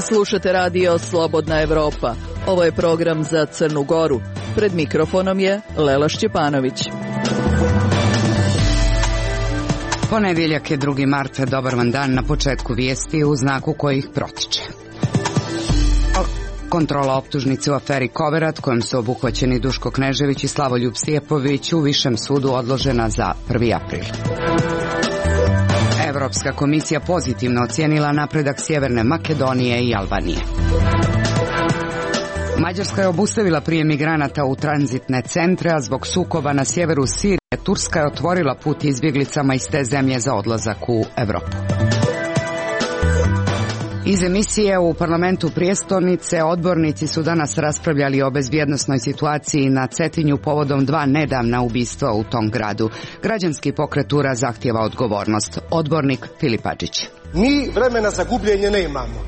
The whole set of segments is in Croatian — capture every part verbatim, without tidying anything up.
Slušate radio Slobodna Evropa. Ovo je program za Crnu Goru. Pred mikrofonom je Lela Šćepanović. Ponedjeljak je drugi mart, dobar vam dan. Na početku vijesti u znaku kojih protiče. Kontrola optužnice u aferi Koverat, kojom su obuhvaćeni Duško Knežević i Slavoljub Stijepović, u Višem sudu odložena za prvi april. Evropska komisija pozitivno ocijenila napredak Sjeverne Makedonije i Albanije. Mađarska je obustavila prijem migranata u tranzitne centre, a zbog sukoba na sjeveru Sirije Turska je otvorila put izbjeglicama iz te zemlje za odlazak u Europu. Iz emisije u parlamentu prijestolnice odbornici su danas raspravljali o bezbjednosnoj situaciji na Cetinju povodom dva nedavna ubistva u tom gradu. Građanski pokret U R A zahtijeva odgovornost. Odbornik Filip Adžić. Mi vremena za gubljenje ne imamo.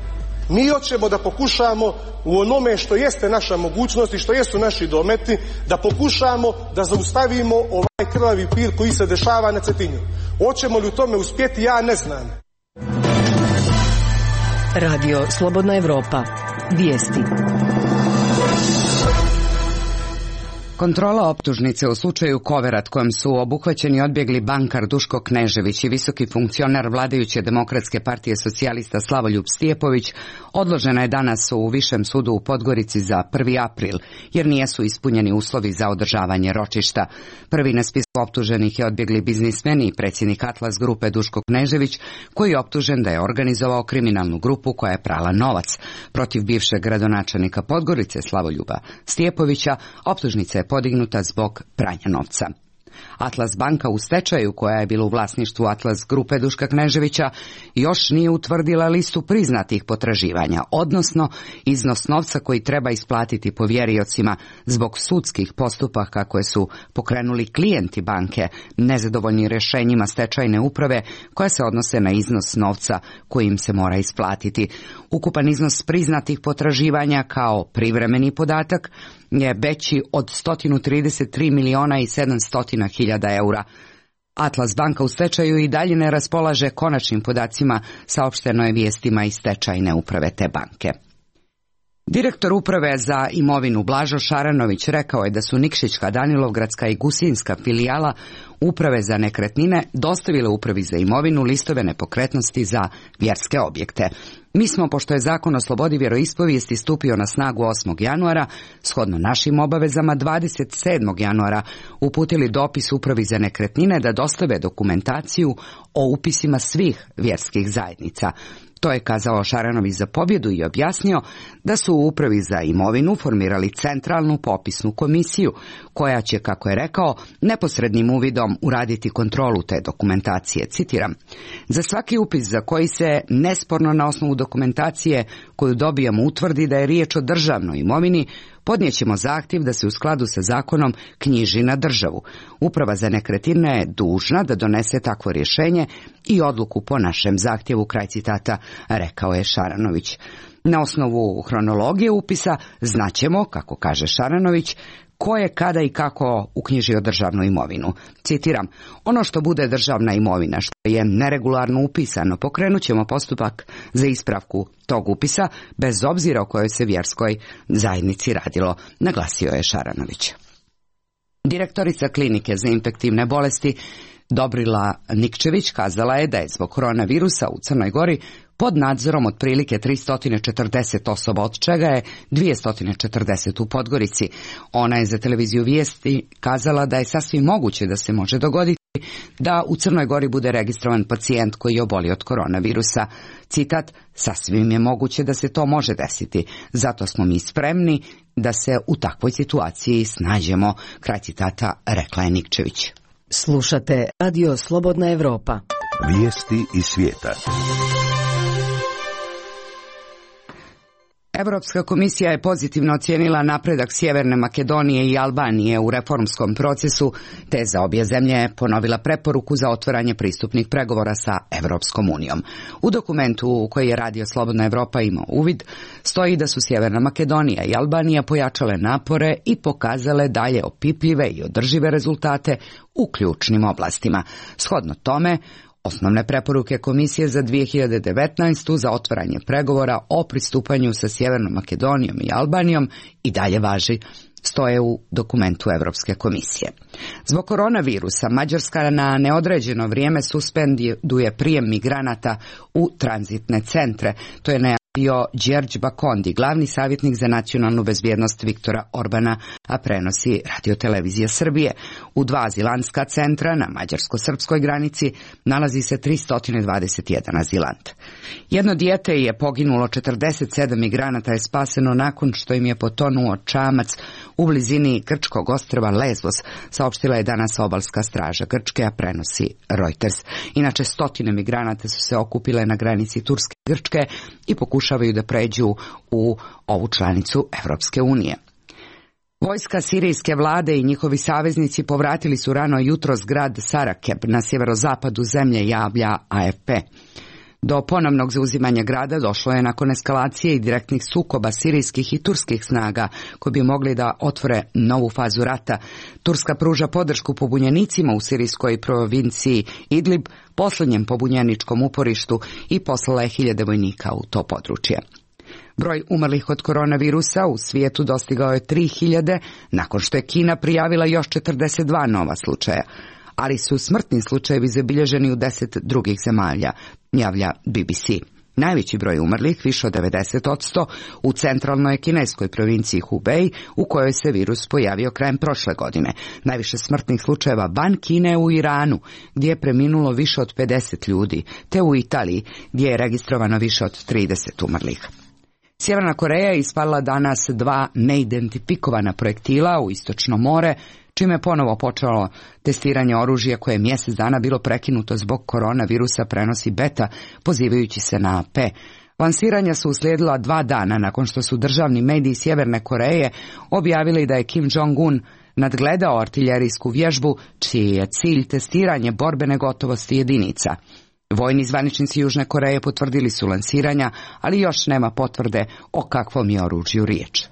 Mi hoćemo da pokušamo u onome što jeste naša mogućnost i što jesu naši dometi, da pokušamo da zaustavimo ovaj krvavi pir koji se dešava na Cetinju. Hoćemo li u tome uspjeti, ja ne znam. Radio Slobodna Evropa. Vijesti. Kontrola optužnice u slučaju Koverat, kojem su obuhvaćeni odbjegli bankar Duško Knežević i visoki funkcionar vladajuće Demokratske partije socijalista Slavoljub Stijepović, odložena je danas u Višem sudu u Podgorici za prvi april, jer nijesu ispunjeni uslovi za održavanje ročišta. Prvi na spisku optuženih je odbjegli biznismen i predsjednik Atlas grupe Duško Knežević, koji je optužen da je organizovao kriminalnu grupu koja je prala novac. Protiv bivšeg gradonačelnika Podgorice Slavoljuba Stijepovića optužnica je podignuta zbog pranja novca. Atlas banka u stečaju, koja je bila u vlasništvu Atlas grupe Duška Kneževića, još nije utvrdila listu priznatih potraživanja, odnosno iznos novca koji treba isplatiti povjeriocima zbog sudskih postupaka koje su pokrenuli klijenti banke, nezadovoljni rješenjima stečajne uprave koja se odnose na iznos novca koji im se mora isplatiti. Ukupan iznos priznatih potraživanja kao privremeni podatak je veći od sto trideset tri miliona i sedamsto hiljada eura. Atlas banka u stečaju i dalje ne raspolaže konačnim podacima, saopšteno je vijestima iz stečajne uprave te banke. Direktor uprave za imovinu Blažo Šaranović rekao je da su Nikšićka, Danilovgradska i Gusinska filijala uprave za nekretnine dostavile upravi za imovinu listove nepokretnosti za vjerske objekte. Mi smo, pošto je zakon o slobodi vjeroispovijesti stupio na snagu osmog januara, shodno našim obavezama dvadeset sedmog januara uputili dopis upravi za nekretnine da dostave dokumentaciju o upisima svih vjerskih zajednica. To je kazao Šaranović za Pobjedu i objasnio da su u upravi za imovinu formirali centralnu popisnu komisiju, koja će, kako je rekao, neposrednim uvidom uraditi kontrolu te dokumentacije. Citiram: za svaki upis za koji se nesporno na osnovu dokumentacije koju dobijamo utvrdi da je riječ o državnoj imovini, podnijećemo zahtjev da se u skladu sa zakonom knjiži na državu. Uprava za nekretnine je dužna da donese takvo rješenje i odluku po našem zahtjevu, kraj citata, rekao je Šaranović. Na osnovu hronologije upisa znaćemo, kako kaže Šaranović, ko je kada i kako uknjižio državnu imovinu. Citiram: ono što bude državna imovina, što je neregularno upisano, pokrenut ćemo postupak za ispravku tog upisa, bez obzira o kojoj se vjerskoj zajednici radilo, naglasio je Šaranović. Direktorica klinike za infektivne bolesti Dobrila Nikčević kazala je da je zbog koronavirusa u Crnoj Gori pod nadzorom otprilike tristo četrdeset osoba, od čega je dvjesto četrdeset u Podgorici. Ona je za televiziju Vijesti kazala da je sasvim moguće da se može dogoditi da u Crnoj Gori bude registrovan pacijent koji je obolio od koronavirusa. Citat: sasvim je moguće da se to može desiti, zato smo mi spremni da se u takvoj situaciji snađemo, kraj citata, rekla je Nikčević. Slušate Radio Slobodna Evropa. Vijesti iz svijeta. Europska komisija je pozitivno ocijenila napredak Sjeverne Makedonije i Albanije u reformskom procesu, te za obje zemlje ponovila preporuku za otvaranje pristupnih pregovora sa Europskom unijom. U dokumentu u koji je Radio Slobodna Evropa imao uvid, stoji da su Sjeverna Makedonija i Albanija pojačale napore i pokazale dalje opipljive i održive rezultate u ključnim oblastima. Shodno tome, Osnovne preporuke Komisije za dvije hiljade devetnaestu za otvaranje pregovora o pristupanju sa Sjevernom Makedonijom i Albanijom i dalje važi, stoje u dokumentu Evropske komisije. Zbog koronavirusa Mađarska na neodređeno vrijeme suspenduje prijem migranata u tranzitne centre. To je najavio Đerđ Bakondi, glavni savjetnik za nacionalnu bezbjednost Viktora Orbana, a prenosi Radio-televizija Srbije. U dva azilantska centra na mađarsko-srpskoj granici nalazi se tristo dvadeset jedan azilant. Jedno dijete je poginulo, četrdeset sedam migranata je spaseno nakon što im je potonuo čamac u blizini grčkog ostrva Lesbos, saopštila je danas obalska straža Grčke, a prenosi Reuters. Inače, stotine migranata su se okupile na granici Turske i Grčke i pokušavaju da pređu u ovu članicu Evropske unije. Vojska sirijske vlade i njihovi saveznici povratili su rano jutros grad Sarakeb na sjeverozapadu zemlje, javlja A F P. Do ponovnog zauzimanja grada došlo je nakon eskalacije i direktnih sukoba sirijskih i turskih snaga koji bi mogli da otvore novu fazu rata. Turska pruža podršku pobunjenicima u sirijskoj provinciji Idlib, posljednjem pobunjeničkom uporištu, i poslala je hiljade vojnika u to područje. Broj umrlih od koronavirusa u svijetu dostigao je tri hiljade, nakon što je Kina prijavila još četrdeset dva nova slučaja, ali su smrtni slučajevi zabilježeni u deset drugih zemalja, javlja B B C. Najveći broj umrlih, više od devedeset posto, u centralnoj kineskoj provinciji Hubei, u kojoj se virus pojavio krajem prošle godine. Najviše smrtnih slučajeva van Kine u Iranu, gdje je preminulo više od pedeset ljudi, te u Italiji, gdje je registrovano više od trideset umrlih. Sjeverna Koreja je ispalila danas dva neidentifikovana projektila u Istočno more, čime je ponovo počelo testiranje oružja koje je mjesec dana bilo prekinuto zbog koronavirusa, prenosi Beta, pozivajući se na A P. Lansiranja su uslijedila dva dana nakon što su državni mediji Sjeverne Koreje objavili da je Kim Jong-un nadgledao artiljerijsku vježbu, čiji je cilj testiranje borbene gotovosti jedinica. Vojni zvaničnici Južne Koreje potvrdili su lansiranja, ali još nema potvrde o kakvom je oružju riječ.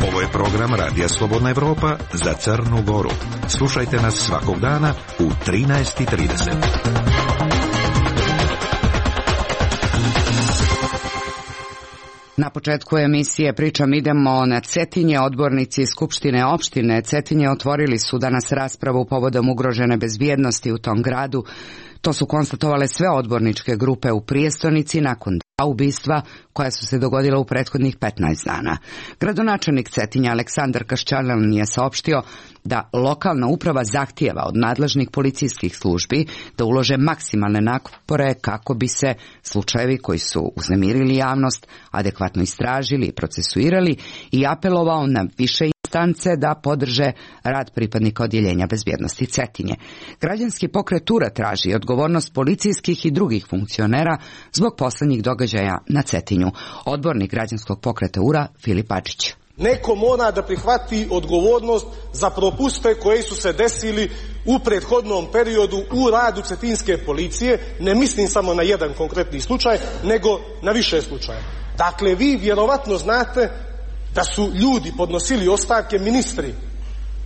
Ovo je program Radija Slobodna Evropa za Crnu Goru. Slušajte nas svakog dana u trinaest i trideset. Na početku emisije pričam idemo na Cetinje. Odbornici Skupštine opštine Cetinje otvorili su danas raspravu povodom ugrožene bezbjednosti u tom gradu. To su konstatovale sve odborničke grupe u prijestonici nakon dva ubistva koja su se dogodila u prethodnih petnaest dana. Gradonačelnik Cetinja Aleksandar Kaščalan je saopštio da lokalna uprava zahtijeva od nadležnih policijskih službi da ulože maksimalne napore kako bi se slučajevi koji su uznemirili javnost adekvatno istražili i procesuirali, i apelovao na više instance da podrže rad pripadnika odjeljenja bezbjednosti Cetinje. Građanski pokret Ura traži odgovornost policijskih i drugih funkcionera zbog posljednjih događaja na Cetinju. Odbornik građanskog pokreta Ura Filip Adžić. Neko mora da prihvati odgovornost za propuste koji su se desili u prethodnom periodu u radu cetinske policije. Ne mislim samo na jedan konkretni slučaj, nego na više slučaja. Dakle, vi vjerovatno znate da su ljudi podnosili ostavke, ministri,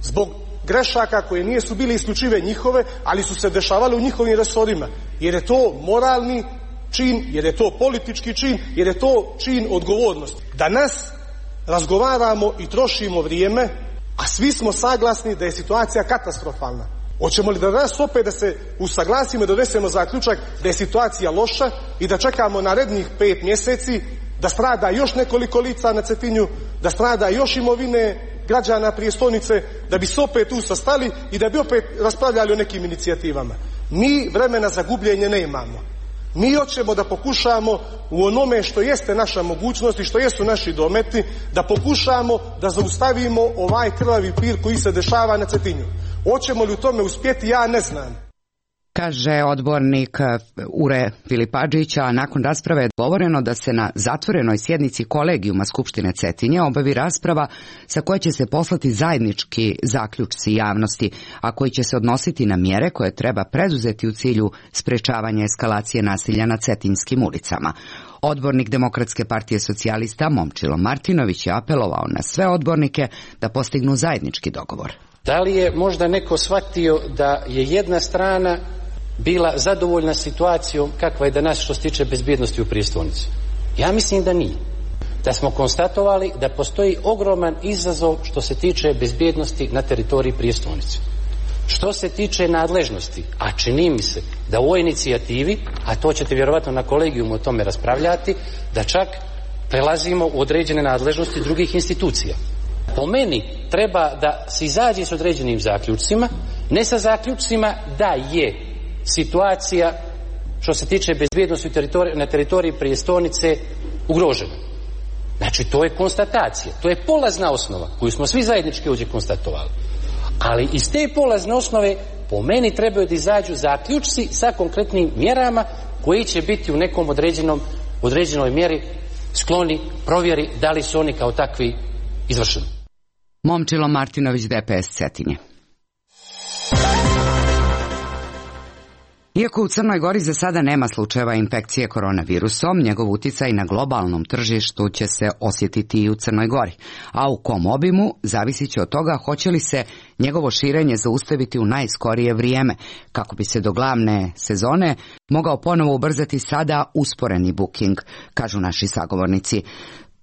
zbog grešaka koje nije su bile isključive njihove, ali su se dešavale u njihovim resorima. Jer je to moralni čin, jer je to politički čin, jer je to čin odgovornosti. Danas razgovaramo i trošimo vrijeme, a svi smo saglasni da je situacija katastrofalna. Hoćemo li da danas opet da se usaglasimo i da donesemo zaključak da je situacija loša i da čekamo narednih pet mjeseci da strada još nekoliko lica na Cetinju, da strada još imovine građana prijestolnice, da bi se opet tu sastali i da bi opet raspravljali o nekim inicijativama? Mi vremena za gubljenje ne imamo. Mi hoćemo da pokušamo u onome što jeste naša mogućnost i što jesu naši dometi, da pokušamo da zaustavimo ovaj krvavi pir koji se dešava na Cetinju. Hoćemo li u tome uspjeti, ja ne znam. Kaže odbornik Ure Filip Adžić, a nakon rasprave je dogovoreno da se na zatvorenoj sjednici kolegijuma Skupštine Cetinje obavi rasprava sa koje će se poslati zajednički zaključci javnosti, a koji će se odnositi na mjere koje treba preduzeti u cilju sprečavanja eskalacije nasilja na cetinjskim ulicama. Odbornik Demokratske partije socijalista Momčilo Martinović je apelovao na sve odbornike da postignu zajednički dogovor. Da li je možda neko shvatio da je jedna strana bila zadovoljna situacijom kakva je danas što se tiče bezbjednosti u prijestolnici? Ja mislim da nije. Da smo konstatovali da postoji ogroman izazov što se tiče bezbjednosti na teritoriji prijestolnice. Što se tiče nadležnosti, a čini mi se da u ovoj inicijativi, a to ćete vjerovatno na kolegijumu o tome raspravljati, da čak prelazimo u određene nadležnosti drugih institucija. Po meni treba da se izađe s određenim zaključcima, ne sa zaključcima da je situacija što se tiče bezbjednosti na teritoriji prijestolnice ugrožena. Znači, to je konstatacija, to je polazna osnova koju smo svi zajednički ovdje konstatovali. Ali iz te polazne osnove po meni trebaju da izađu zaključci sa konkretnim mjerama koji će biti u nekom određenom, određenoj mjeri skloni provjeri da li su oni kao takvi izvršeni. Momčilo Martinović, D P S Cetinje. Iako u Crnoj Gori za sada nema slučajeva infekcije koronavirusom, njegov uticaj na globalnom tržištu će se osjetiti i u Crnoj Gori, a u kom obimu zavisit će od toga hoće li se njegovo širenje zaustaviti u najskorije vrijeme, kako bi se do glavne sezone mogao ponovo ubrzati sada usporeni booking, kažu naši sagovornici.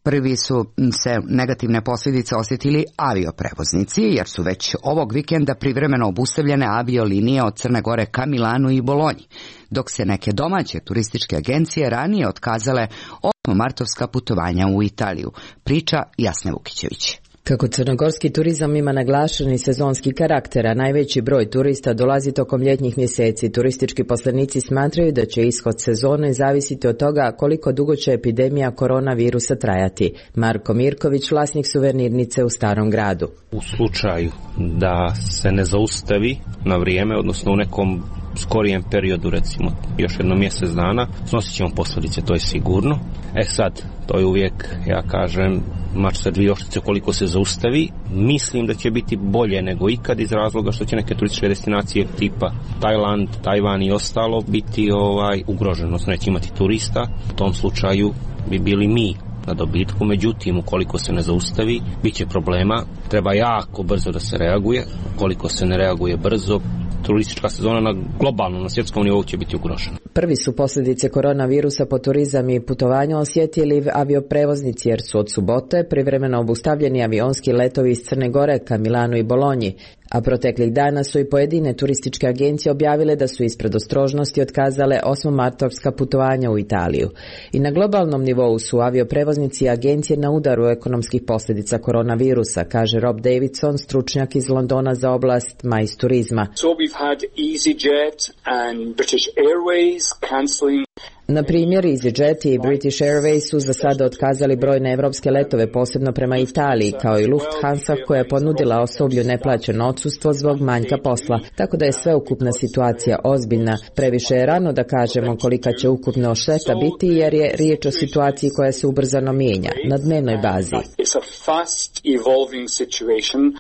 Prvi su se negativne posljedice osjetili avioprevoznici, jer su već ovog vikenda privremeno obustavljene aviolinije od Crne Gore ka Milanu i Bolonji, dok se neke domaće turističke agencije ranije otkazale osmomartovska putovanja u Italiju. Priča Jasne Vukićević. Kako crnogorski turizam ima naglašeni sezonski karakter, a najveći broj turista dolazi tokom ljetnjih mjeseci, turistički poslenici smatraju da će ishod sezone zavisiti od toga koliko dugo će epidemija koronavirusa trajati. Marko Mirković, vlasnik suvenirnice u Starom gradu. U slučaju da se ne zaustavi na vrijeme, odnosno u nekom skorijem periodu, recimo još jedno mjesec dana, snosit ćemo posljedice, to je sigurno. E sad, to je uvijek, ja kažem, mač sa dvije oštrice koliko se zaustavi. Mislim da će biti bolje nego ikad iz razloga što će neke turističke destinacije tipa Tajland, Tajvan i ostalo biti ovaj ugroženo, odnosno neće imati turista. U tom slučaju bi bili mi na dobitku, međutim ukoliko se ne zaustavi bit će problema, treba jako brzo da se reaguje. Ukoliko se ne reaguje brzo, turistička sezona na globalnom, na svjetskom nivou će biti ugrožena. Prvi su posljedice koronavirusa po turizam i putovanja osjetili avioprevoznici, jer su od subote privremeno obustavljeni avionski letovi iz Crne Gore ka Milanu i Bolonji, a proteklih dana su i pojedine turističke agencije objavile da su iz predostrožnosti otkazale osmomartovska putovanja u Italiju. I na globalnom nivou su avioprevoznici i agencije na udaru ekonomskih posljedica koronavirusa, kaže Rob Davidson, stručnjak iz Londona za oblast majs turizma. So we've had EasyJet and British Airways cancelling. Na primjer, EasyJet i British Airways su za sada otkazali brojne evropske letove, posebno prema Italiji, kao i Lufthansa koja je ponudila osoblju neplaćeno odsustvo zbog manjka posla, tako da je sveukupna situacija ozbiljna. Previše je rano da kažemo kolika će ukupna šteta biti, jer je riječ o situaciji koja se ubrzano mijenja, na dnevnoj bazi.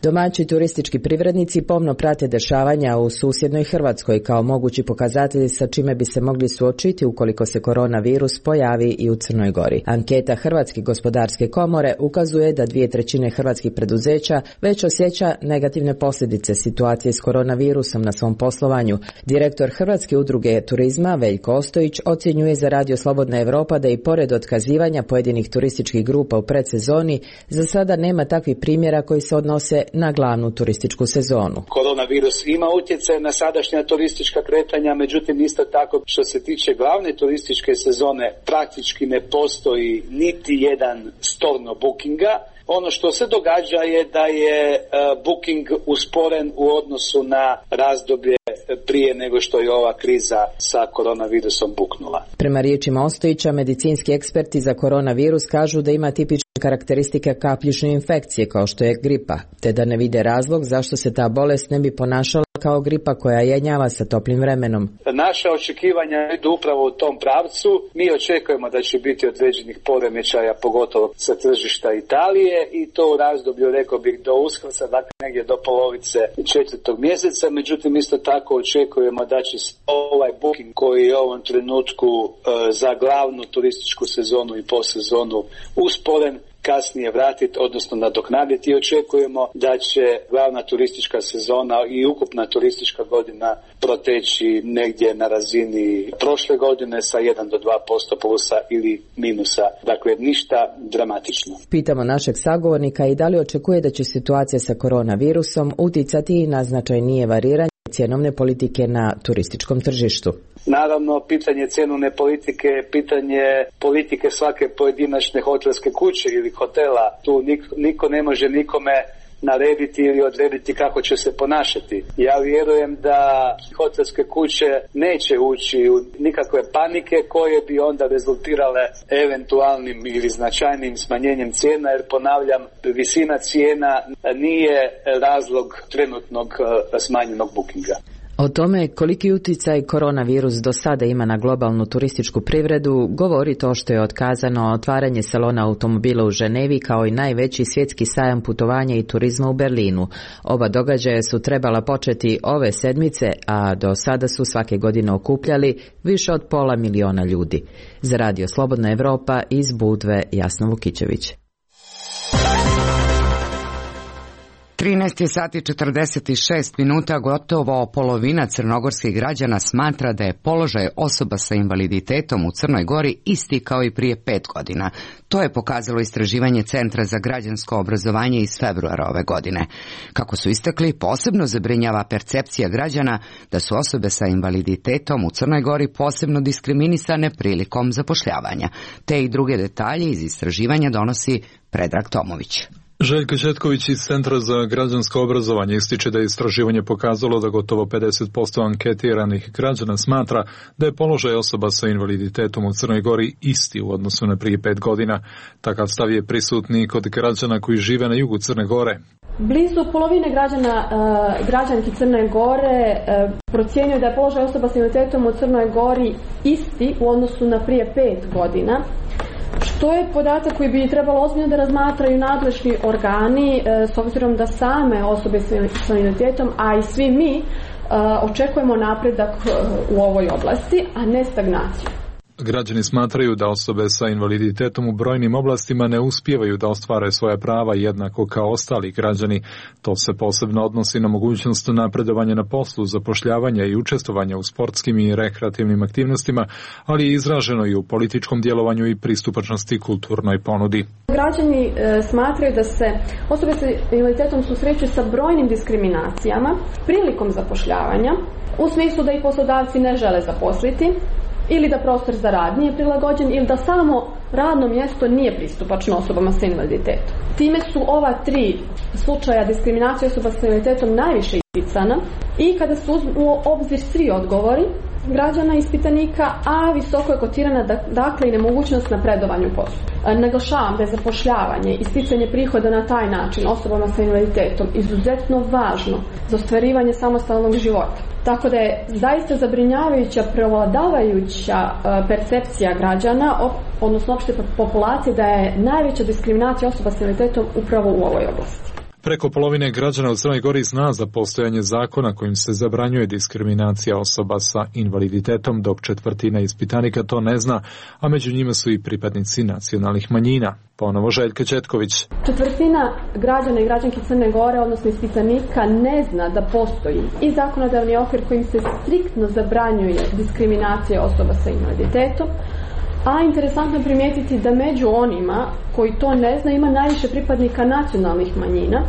Domaći turistički privrednici pomno prate dešavanja u susjednoj Hrvatskoj kao mogući pokazatelji sa čime bi se mogli suočiti ukoliko se koronavirus pojavi i u Crnoj Gori. Anketa Hrvatske gospodarske komore ukazuje da dvije trećine hrvatskih preduzeća već osjeća negativne posljedice situacije s koronavirusom na svom poslovanju. Direktor Hrvatske udruge turizma Veljko Ostojić ocjenjuje za Radio Slobodna Evropa da i pored otkazivanja pojedinih turističkih grupa u predsezoni, za sada nema takvih primjera koji se odnose na glavnu turističku sezonu. Koronavirus ima utjecaj na sadašnja turistička kretanja, međutim isto tako što se tiče glavne turističke sezone praktički ne postoji niti jedan storno bookinga. Ono što se događa je da je uh, booking usporen u odnosu na razdoblje prije nego što je ova kriza sa koronavirusom buknula. Prema riječima Ostojića, medicinski eksperti za koronavirus kažu da ima tipične karakteristike kapljične infekcije kao što je gripa, te da ne vide razlog zašto se ta bolest ne bi ponašala kao gripa koja jenjava sa toplim vremenom. Naša očekivanja idu upravo u tom pravcu. Mi očekujemo da će biti određenih poremećaja, pogotovo sa tržišta Italije, i to u razdoblju, rekao bih, do Uskrsa, dakle negdje do polovice četvrtog mjeseca. Međutim, isto tako očekujemo da će ovaj booking koji je u ovom trenutku e, za glavnu turističku sezonu i posezonu usporen, kasnije vratiti, odnosno nadoknaditi, i očekujemo da će glavna turistička sezona i ukupna turistička godina proteći negdje na razini prošle godine sa jedan do dva posto plusa ili minusa. Dakle, ništa dramatično. Pitamo našeg sagovornika i da li očekuje da će situacija sa koronavirusom uticati na značajnije variranje cjenovne politike na turističkom tržištu. Naravno, pitanje cjenovne politike je pitanje politike svake pojedinačne hotelske kuće ili hotela. Tu niko, niko ne može nikome narediti ili odrediti kako će se ponašati. Ja vjerujem da hotelske kuće neće ući u nikakve panike koje bi onda rezultirale eventualnim ili značajnim smanjenjem cijena, jer ponavljam, visina cijena nije razlog trenutnog smanjenog bookinga. O tome koliki utjecaj koronavirus do sada ima na globalnu turističku privredu govori to što je otkazano otvaranje salona automobila u Ženevi kao i najveći svjetski sajam putovanja i turizma u Berlinu. Oba događaja su trebala početi ove sedmice, a do sada su svake godine okupljali više od pola miliona ljudi. Za Radio Slobodna Evropa iz Budve, Jasna Vukićević. trinaest sati četrdeset šest minuta, gotovo polovina crnogorskih građana smatra da je položaj osoba sa invaliditetom u Crnoj Gori isti kao i prije pet godina. To je pokazalo istraživanje Centra za građansko obrazovanje iz februara ove godine. Kako su istakli, posebno zabrinjava percepcija građana da su osobe sa invaliditetom u Crnoj Gori posebno diskriminisane prilikom zapošljavanja. Te i druge detalje iz istraživanja donosi Predrag Tomović. Željko Četković iz Centra za građansko obrazovanje ističe da je istraživanje pokazalo da gotovo pedeset posto anketiranih građana smatra da je položaj osoba sa invaliditetom u Crnoj Gori isti u odnosu na prije pet godina. Takav stav je prisutni kod građana koji žive na jugu Crne Gore. Blizu polovine građana, građanki Crne Gore procjenjuje da je položaj osoba sa invaliditetom u Crnoj Gori isti u odnosu na prije pet godina. Što je podatak koji bi trebalo ozbiljno da razmatraju nadležni organi, s obzirom da same osobe s invaliditetom, a i svi mi, očekujemo napredak u ovoj oblasti, a ne stagnaciju. Građani smatraju da osobe sa invaliditetom u brojnim oblastima ne uspijevaju da ostvare svoja prava jednako kao ostali građani. To se posebno odnosi na mogućnost napredovanja na poslu, zapošljavanja i učestvovanja u sportskim i rekreativnim aktivnostima, ali je izraženo i u političkom djelovanju i pristupačnosti kulturnoj ponudi. Građani e, smatraju da se osobe sa invaliditetom susreću sa brojnim diskriminacijama prilikom zapošljavanja, u smislu da ih poslodavci ne žele zaposliti, ili da prostor za rad nije prilagođen, ili da samo radno mjesto nije pristupačno osobama sa invaliditetom. Time su ova tri slučaja diskriminacije osoba sa invaliditetom najviše isticana i kada su u obzir svi odgovori građana ispitanika, a visoko je kotirana dakle i nemogućnost napredovanja u poslu. Naglašavam da je zapošljavanje i sticanje prihoda na taj način osobama sa invaliditetom izuzetno važno za ostvarivanje samostalnog života. Tako da je zaista zabrinjavajuća prevladavajuća percepcija građana, odnosno opšte populacije, da je najveća diskriminacija osoba sa invaliditetom upravo u ovoj oblasti. Preko polovine građana u Crnoj Gori zna za postojanje zakona kojim se zabranjuje diskriminacija osoba sa invaliditetom, dok četvrtina ispitanika to ne zna, a među njima su i pripadnici nacionalnih manjina. Ponovo Željka Četković. Četvrtina građana i građanki Crne Gore, odnosno ispitanika, ne zna da postoji i zakonodavni okvir kojim se striktno zabranjuje diskriminacija osoba sa invaliditetom. A interesantno je primijetiti da među onima koji to ne zna ima najviše pripadnika nacionalnih manjina,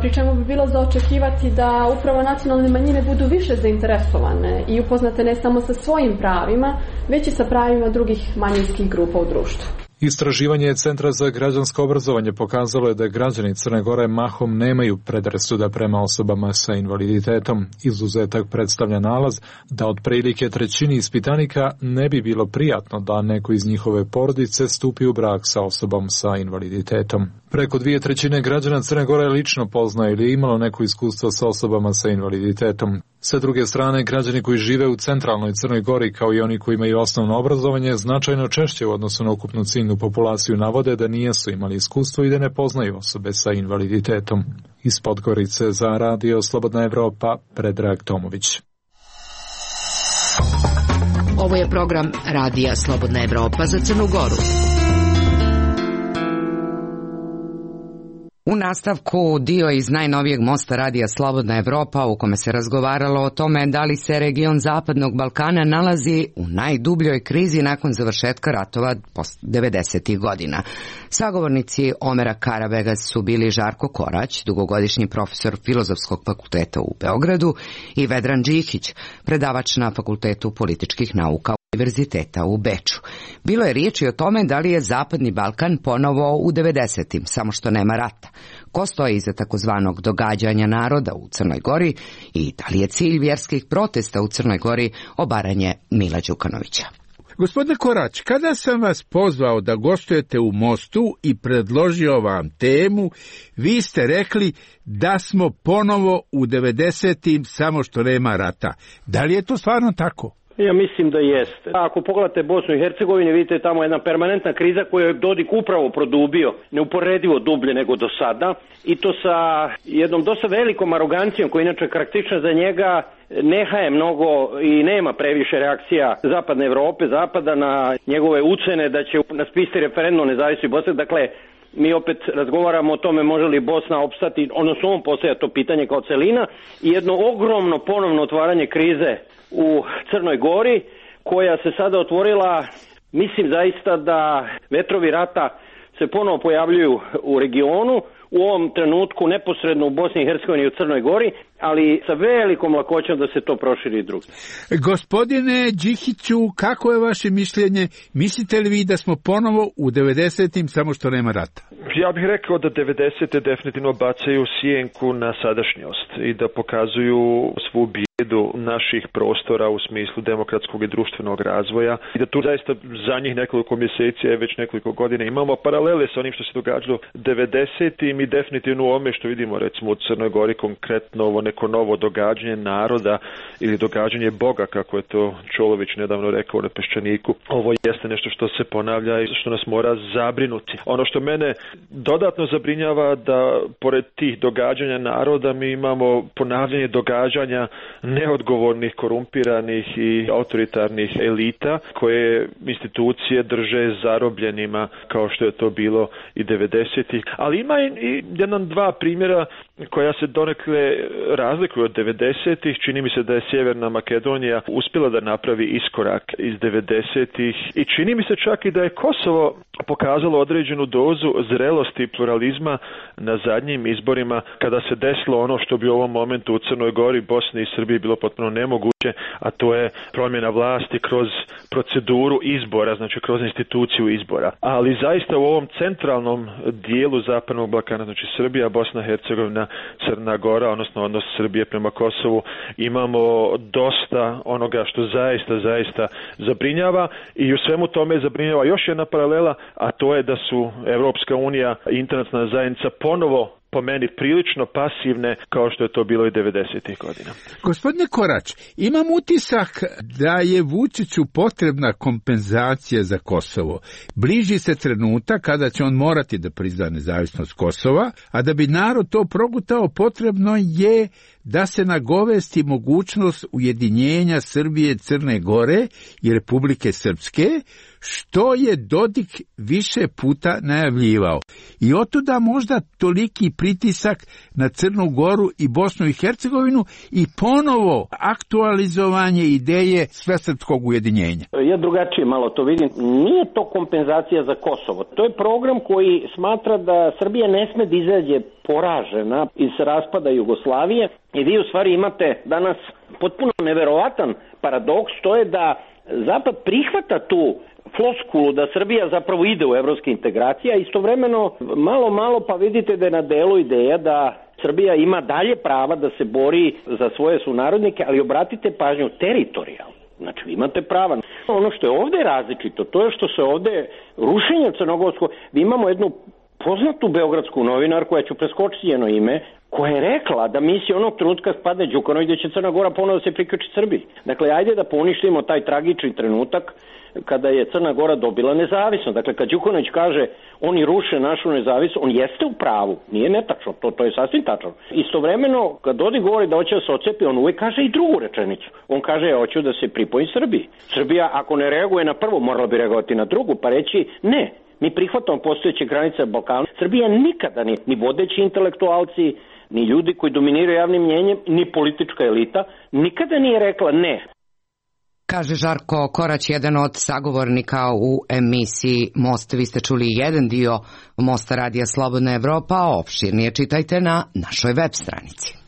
pri čemu bi bilo za očekivati da upravo nacionalne manjine budu više zainteresovane i upoznate ne samo sa svojim pravima, već i sa pravima drugih manjinskih grupa u društvu. Istraživanje Centra za građansko obrazovanje pokazalo je da građani Crne Gore mahom nemaju predrasuda prema osobama sa invaliditetom. Izuzetak predstavlja nalaz da otprilike trećini ispitanika ne bi bilo prijatno da neko iz njihove porodice stupi u brak sa osobom sa invaliditetom. Preko dvije trećine građana Crne Gore lično poznaje ili imalo neko iskustvo sa osobama sa invaliditetom. Sa druge strane, građani koji žive u centralnoj Crnoj Gori, kao i oni koji imaju osnovno obrazovanje, značajno češće u odnosu na ukupnu ciljnu populaciju navode da nijesu imali iskustvo i da ne poznaju osobe sa invaliditetom. Iz Podgorice za Radio Slobodna Evropa, Predrag Tomović. Ovo je program Radija Slobodna Evropa za Crnu Goru. U nastavku dio iz najnovijeg mosta radija Slobodna Evropa u kome se razgovaralo o tome da li se region Zapadnog Balkana nalazi u najdubljoj krizi nakon završetka ratova devedesetih godina. Sagovornici Omera Karabegas su bili Žarko Korać, dugogodišnji profesor Filozofskog fakulteta u Beogradu, i Vedran Đikić, predavač na Fakultetu političkih nauka Univerziteta u Beču. Bilo je riječi o tome da li je Zapadni Balkan ponovo u devedesetim, samo što nema rata. Ko stoji iza takozvanog događanja naroda u Crnoj Gori i da li je cilj vjerskih protesta u Crnoj Gori obaranje Mila Đukanovića. Gospodine Korać, kada sam vas pozvao da gostujete u Mostu i predložio vam temu, vi ste rekli da smo ponovo u devedesetim, samo što nema rata. Da li je to stvarno tako? Ja mislim da jeste. Ako pogledate Bosnu i Hercegovinu, vidite tamo jedna permanentna kriza koju je Dodik upravo produbio, neuporedivo dublje nego do sada, i to sa jednom dosta velikom arogancijom koja inače karakteristična za njega. Nehaje mnogo i nema previše reakcija Zapadne Evrope, Zapada na njegove ucene da će naspiste referendum nezavisnosti Bosne. Dakle, mi opet razgovaramo o tome može li Bosna opstati, odnosno on postavlja to pitanje kao celina, i jedno ogromno ponovno otvaranje krize u Crnoj Gori, koja se sada otvorila. Mislim zaista da vetrovi rata se ponovo pojavljuju u regionu, u ovom trenutku neposredno u Bosni i Hercegovini i u Crnoj Gori, ali sa velikom lakoćom da se to proširi i drugdje. Gospodine Đikiću, kako je vaše mišljenje? Mislite li vi da smo ponovo u devedesetim, samo što nema rata? Ja bih rekao da devedesete definitivno bacaju sjenku na sadašnjost i da pokazuju svu bijedu naših prostora u smislu demokratskog i društvenog razvoja i da tu zaista zadnjih nekoliko mjeseci, već nekoliko godina imamo paralele sa onim što se događalo devedesetim i definitivno u ovome što vidimo recimo u Crnoj Gori, konkretno ovo neko novo događanje naroda ili događanje Boga, kako je to Čolović nedavno rekao na Peščaniku. Ovo jeste nešto što se ponavlja i što nas mora zabrinuti. Ono što mene dodatno zabrinjava da pored tih događanja naroda mi imamo ponavljanje događanja neodgovornih, korumpiranih i autoritarnih elita koje institucije drže zarobljenima kao što je to bilo i devedesetih. Ali ima i jedan dva primjera koja se donekle razlikuju od devedesetih. Čini mi se da je Sjeverna Makedonija uspjela da napravi iskorak iz devedesetih i čini mi se čak i da je Kosovo pokazalo određenu dozu zrelosti i pluralizma na zadnjim izborima kada se desilo ono što bi u ovom momentu u Crnoj Gori, Bosni i Srbiji bilo potpuno nemoguće, a to je promjena vlasti kroz proceduru izbora, znači kroz instituciju izbora. Ali zaista u ovom centralnom dijelu Zapadnog Balkana, znači Srbija, Bosna, Hercegovina, Crna Gora, odnosno odnos Srbije prema Kosovu, imamo dosta onoga što zaista, zaista zabrinjava i u svemu tome zabrinjava još jedna paralela, a to je da su Evropska unija i internacionalna zajednica ponovo po meni prilično pasivne kao što je to bilo i devedesetih godina. Gospodine Korać, imam utisak da je Vučiću potrebna kompenzacija za Kosovo. Bliži se trenutak kada će on morati da prizna nezavisnost Kosova, a da bi narod to progutao potrebno je da se nagovesti mogućnost ujedinjenja Srbije, Crne Gore i Republike Srpske, što je Dodik više puta najavljivao. I otuda možda toliki pritisak na Crnu Goru i Bosnu i Hercegovinu i ponovo aktualizovanje ideje svesrpskog ujedinjenja. Ja drugačije malo to vidim. Nije to kompenzacija za Kosovo. To je program koji smatra da Srbija ne sme da izađe poražena iz raspada Jugoslavije i vi u stvari imate danas potpuno neverovatan paradoks, to je da Zapad prihvata tu floskulu da Srbija zapravo ide u evropske integracije, a istovremeno malo malo pa vidite da je na delu ideja da Srbija ima dalje prava da se bori za svoje sunarodnike, ali obratite pažnju teritorijalno. Znači, vi imate prava. Ono što je ovdje različito, to je što se ovdje rušenje crnogorsko, vi imamo jednu poznatu beogradsku novinarku, koja ću preskočiti njeno ime, koja je rekla da misli onog trenutka spadne Đukanović da će Crna Gora ponovno se priključi Srbiji. Dakle, ajde da poništimo taj tragični trenutak kada je Crna Gora dobila nezavisnost. Dakle, kad Đukanović kaže oni ruše našu nezavisnost, on jeste u pravu, nije netačno, to, to je sasvim tačno. Istovremeno, kad Dodik govori da hoće da se odcepi, on uvijek kaže i drugu rečenicu. On kaže, ja hoću da se pripojim Srbiji. Srbija, ako ne reaguje na prvu, morala bi reagovati na drugu, pa reći ne. Mi prihvatamo postojeće granice Balkana. Srbija nikada ni, ni vodeći intelektualci, ni ljudi koji dominiraju javnim mnjenjem, ni politička elita, nikada nije rekla ne. Kaže Žarko Korać, jedan od sagovornika u emisiji Most. Vi ste čuli jedan dio Mosta Radija Slobodna Evropa, a opširnije čitajte na našoj web stranici.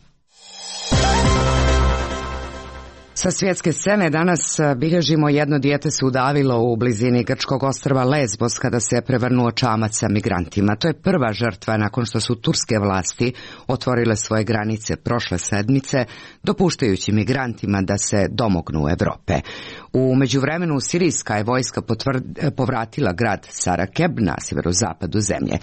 Sa svjetske scene danas bilježimo jedno dijete se udavilo u blizini grčkog ostrva Lesbos kada se prevrnuo čamac sa migrantima. To je prva žrtva nakon što su turske vlasti otvorile svoje granice prošle sedmice, dopuštajući migrantima da se domognu Evrope. U međuvremenu sirijska je vojska potvrd, povratila grad Sarakeb na sjeverozapadu zemlje.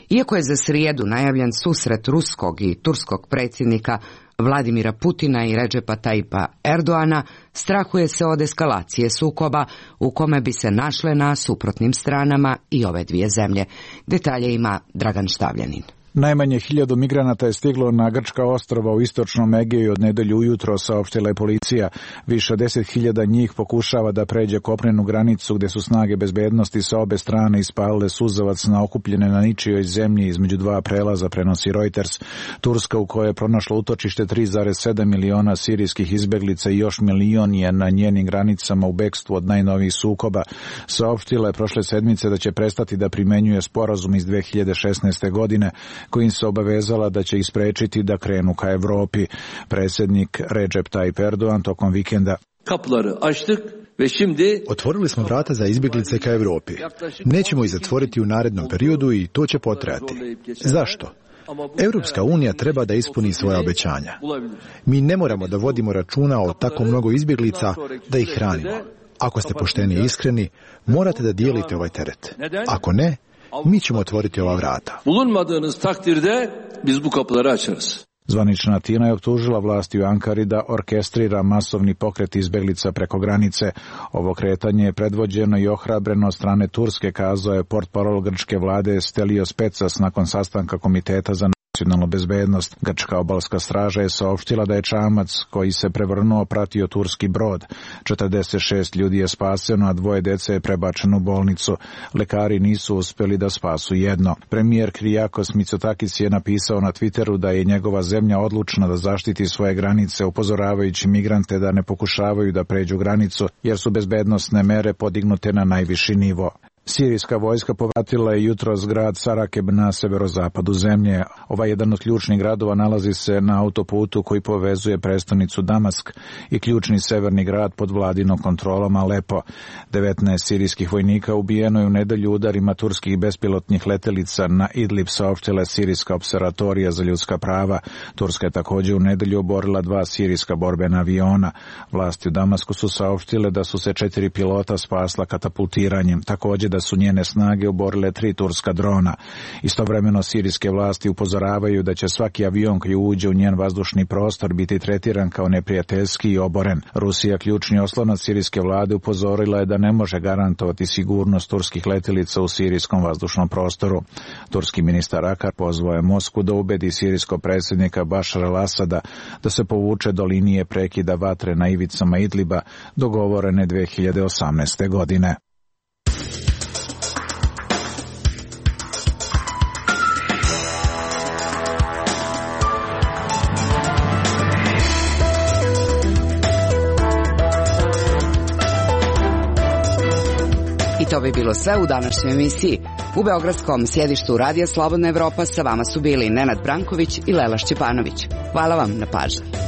Iako je za srijedu najavljen susret ruskog i turskog predsjednika Vladimira Putina i Redžepa Tajipa Erdoana, strahuje se od eskalacije sukoba u kome bi se našle na suprotnim stranama i ove dvije zemlje. Detalje ima Dragan Štavljanin. Najmanje hiljadu migranata je stiglo na grčka ostrva u istočnom Egeju od nedelju ujutro, saopštila je policija. Više od deset hiljada njih pokušava da pređe kopnenu granicu gdje su snage bezbednosti sa obe strane ispalile suzavac na okupljene na ničijoj zemlji između dva prelaza, prenosi Reuters. Turska, u kojoj je pronašlo utočište tri zarez sedam miliona sirijskih izbeglica i još milion je na njenim granicama u bekstvu od najnovijih sukoba, saopštila je prošle sedmice da će prestati da primenjuje sporazum iz dve hiljade šesnaeste. godine kojim se obavezala da će ih sprečiti da krenu ka Evropi. Predsjednik Recep Tayyip Erdogan tokom vikenda: Otvorili smo vrata za izbjeglice ka Evropi. Nećemo ih zatvoriti u narednom periodu i to će potrajati. Zašto? Europska unija treba da ispuni svoja obećanja. Mi ne moramo da vodimo računa o tako mnogo izbjeglica da ih hranimo. Ako ste pošteni i iskreni, morate da dijelite ovaj teret. Ako ne, mi ćemo otvoriti ova vrata. Zvanična Atina je optužila vlasti u Ankari da orkestrira masovni pokret izbeglica preko granice. Ovo kretanje je predvođeno i ohrabreno od strane Turske, kazao je portparol grčke vlade Stelios Petsas nakon sastanka Komiteta za nacionalnu bezbednost. Grčka obalska straža je saopštila da je čamac koji se prevrnuo pratio turski brod. četrdeset šest ljudi je spaseno, a dvoje dece je prebačeno u bolnicu. Lekari nisu uspjeli da spasu jedno. Premijer Kyriakos Mitsotakis je napisao na Twitteru da je njegova zemlja odlučna da zaštiti svoje granice, upozoravajući migrante da ne pokušavaju da pređu granicu, jer su bezbednosne mere podignute na najviši nivo. Sirijska vojska povratila je jutros grad Sarakeb na severozapadu zemlje. Ovaj jedan od ključnih gradova nalazi se na autoputu koji povezuje prestonicu Damask i ključni severni grad pod vladinom kontrolom Alepo. devetnaest sirijskih vojnika ubijeno je u nedelju udarima turskih bespilotnih letelica na Idlib, saopštila Sirijska observatorija za ljudska prava. Turska je također u nedelju oborila dva sirijska borbena aviona. Vlasti u Damasku su saopštile da su se četiri pilota spasla katapultiranjem. Također da su njene snage oborile tri turska drona. Istovremeno sirijske vlasti upozoravaju da će svaki avion koji uđe u njen vazdušni prostor biti tretiran kao neprijateljski i oboren. Rusija, ključni oslonac sirijske vlade, upozorila je da ne može garantovati sigurnost turskih letjelica u sirijskom vazdušnom prostoru. Turski ministar Akar pozvao je Moskvu da ubedi sirijskog predsjednika Bašar al-Asada da se povuče do linije prekida vatre na ivicama Idliba, dogovorene dve hiljade osamnaeste. godine. I to bi bilo sve u današnjoj emisiji. U beogradskom sjedištu Radija Slobodna Evropa sa vama su bili Nenad Branković i Lela Šćepanović. Hvala vam na pažnji.